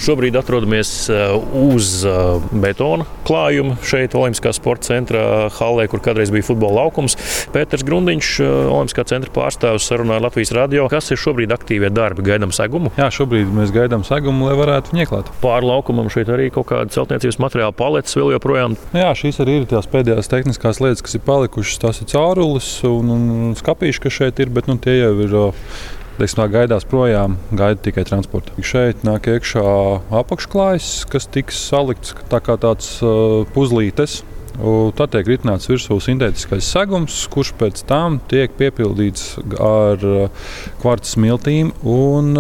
Šobrīd atrodamies uz betona klājuma šeit Olimpiskā sporta centra hallē, kur kādreiz bija futbola laukums. Pēters Grundiņš, Olimpiskā centra pārstāvis, sarunāja Latvijas radio. Kas ir šobrīd aktīvie darbi? Gaidām segumu? Jā, šobrīd mēs gaidām segumu, lai varētu viņu ieklāt. Pāri laukumam šeit arī kaut kāda celtniecības materiāla paletes vēl joprojām. Jā, šīs arī ir tās pēdējās tehniskās lietas, kas ir palikušas. Tās ir caurules un skapīši, kas šeit ir, bet tie jau ir. Gaidās projām, gaida tikai transporta. Šeit nāk iekšā apakšklājs, kas tiks salikts tā kā tāds puzlītes. Tad tiek ritināts virsū sintētiskais segums, kurš pēc tam tiek piepildīts ar kvarca smiltīm un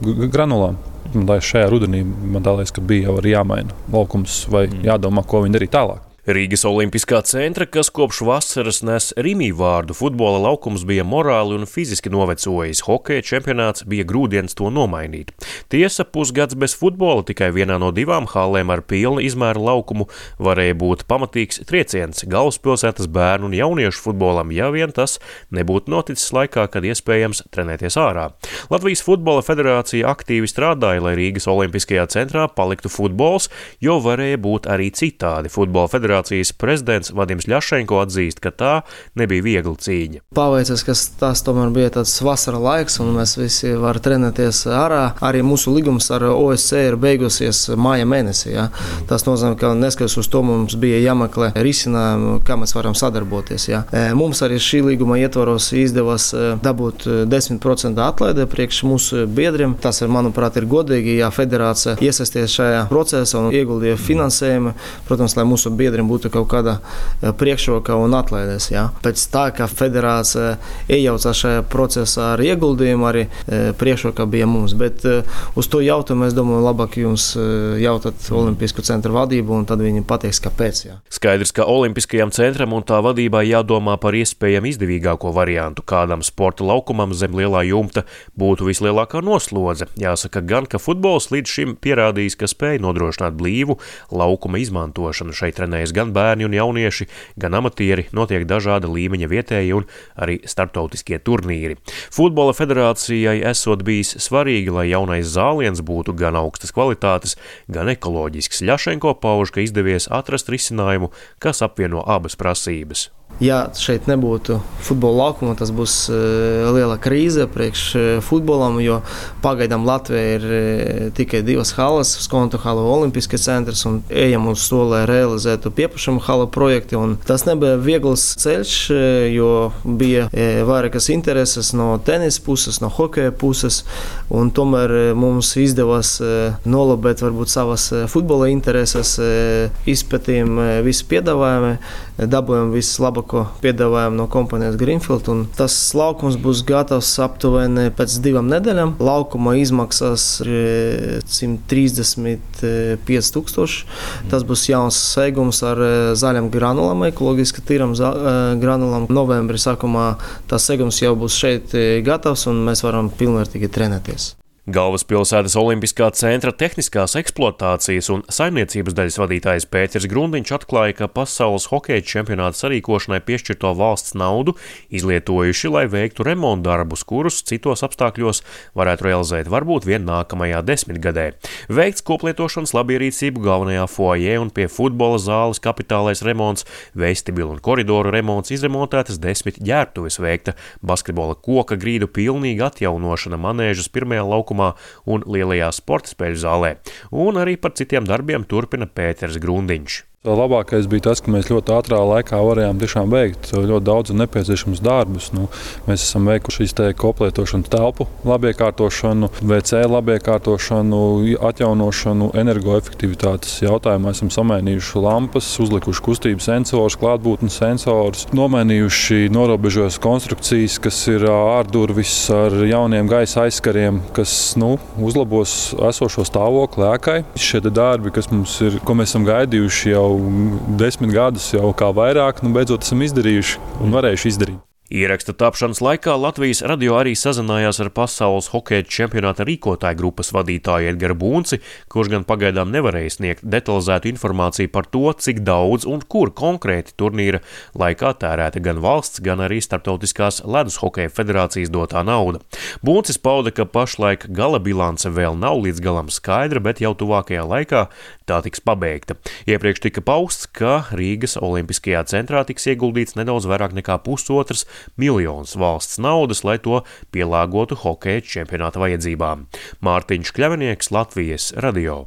granulām. Šajā rudenī man liekas, ka bija jau arī jāmaina laukums vai jādomā, ko viņi darīt tālāk. Rīgas Olimpiskā centra, kas kopš vasaras nes Rimī vārdu, futbola laukums bija morāli un fiziski novecojis. Hokeja čempionāts bija grūdienis to nomainīt. Tiesa, pusgads bez futbola tikai vienā no 2 hallēm ar pilna izmēra laukumu varēja būt pamatīgs trieciens galvaspilsētas bērnu un jauniešu futbolam, ja vien tas nebūtu noticis laikā, kad iespējams trenēties ārā. Latvijas futbola federācija aktīvi strādāja, lai Rīgas Olimpiskajā centrā paliktu futbols, jo varēja būt arī citādi. Futbola federācijas prezidents Vadims Ļašenko atzīst, ka tā nebija viegla cīņa. Paveicies, ka tas tomēr bija tāds vasara laiks, un mēs visi varam trenēties ārā. Arī mūsu līgums ar OSC ir beigusies māja mēnesī. Ja? Tas nozīmē, ka neskatoties uz to, mums bija jāmeklē risinājumi, kā mēs varam sadarboties. Ja? Mums arī šī līguma ietvaros izdevās dabūt 10% atlaidi priekš mūsu biedriem. Tas, manuprāt, ir godīgi, ja federācija iesaisties šajā procesā un ieguldīja finansējumu, protams, lai mūsu biedriem būtu kaut kāda priekšroka un atlaides. Ja. Pēc tā, ka federācija iejaucās šajā procesā ar ieguldījumu, arī priekšroka bija mums. Bet uz to jautājumu, es domāju, labāk jums jautāt Olimpisko centra vadību, un tad viņi pateiks, kāpēc. Ja. Skaidrs, ka Olimpiskajam centram un tā vadībai jādomā par iespējami izdevīgāko variantu. Kādam sporta laukumam zem lielā jumta būtu vislielākā noslodze. Jāsaka gan, ka futbols līdz šim pierādījis, ka spēj nodrošināt blīvu laukuma izmantošanu. Šeit trenējas gan bērni un jaunieši, gan amatieri, notiek dažāda līmeņa vietēji un arī starptautiskie turnīri. Futbola federācijai esot bijis svarīgi, lai jaunais zāliens būtu gan augstas kvalitātes, gan ekoloģisks. Ļašenko pauž, ka izdevies atrast risinājumu, kas apvieno abas prasības. Ja šeit nebūtu futbola laukuma, tas būs liela krīze priekš futbolam, jo pagaidām Latvijā ir tikai 2 halles, Skonto hala un Olimpiskais centrs, un ejam uz to, lai realizētu piepašumu hala projekti. Un tas nebija viegls ceļš, jo bija vairākas intereses no tenisa puses, no hokeja puses, un tomēr mums izdevās nolabēt varbūt savas futbola intereses, izpētījām visu piedāvājumu, dabūjām visu labāko piedāvājumu no kompānijas Greenfield, un tas laukums būs gatavs aptuveni pēc 2 nedēļām. Laukuma izmaksas 135 000. Tas būs jauns segums ar zaļam granulām, ekoloģiski tīram granulām. Novembrī sākumā tas segums jau būs šeit gatavs, un mēs varam pilnvērtīgi trenēties. Galvaspilsētas Olimpiskā centra tehniskās eksploatācijas un saimniecības daļas vadītājs Pēters Grundiņš atklāja, ka pasaules hokeja čempionāta sarīkošanai piešķirto valsts naudu izlietojuši, lai veiktu remontdarbus, kurus citos apstākļos varētu realizēt varbūt vien nākamajā 10 gadē. Veikts koplietošanas labierīcību galvenajā foajē un pie futbola zāles kapitālais remonts, vestibilu un koridoru remonts, izremontētas 10 ģērbtuves, veikta basketbola koka grīdu pilnīga atjaunošana manēžas pirmajā laukumā un lielajā sporta spēļu zālē. Un arī par citiem darbiem turpina Pēters Grundiņš. Labākais bija tas, ka mēs ļoti ātrā laikā varējām tiešām veikt ļoti daudz nepieciešamus darbus. Mēs esam veikuši šīs koplietošanas telpu labiekārtošanu, WC labiekārtošanu, atjaunošanu, energoefektivitātes jautājumā. Esam samainījuši lampas, uzlikuši kustības sensors, klātbūtnes sensors, nomainījuši norobežojas konstrukcijas, kas ir ārdurvis ar jauniem gaisa aizskariem, kas uzlabos esošo stāvokli ēkai. Šie darbi, kas mums ir, ko mēs esam gaidījuši jau 10 gadus, jau kā vairāk, beidzot esam izdarījuši un varējuši izdarīt. Ieraksta tapšanas laikā Latvijas radio arī sazinājās ar pasaules hokeja čempionāta rīkotāju grupas vadītāju Edgars Bunci, kurš gan pagaidām nevarēja sniegt detalizētu informāciju par to, cik daudz un kur konkrēti turnīra laikā tērēta gan valsts, gan arī Starptautiskās ledus hokeja federācijas dotā nauda. Buncis pauda, ka pašlaik gala bilance vēl nav līdz galam skaidra, bet jau tuvākajā laikā tā tiks pabeigta. Iepriekš tika pausts, ka Rīgas Olimpiskajā centrā tiks ieguldīts nedaudz vairāk nekā 1,5 miljonus valsts naudas, lai to pielāgotu hokeja čempionāta vajadzībām. Mārtiņš Kļavinieks, Latvijas radio.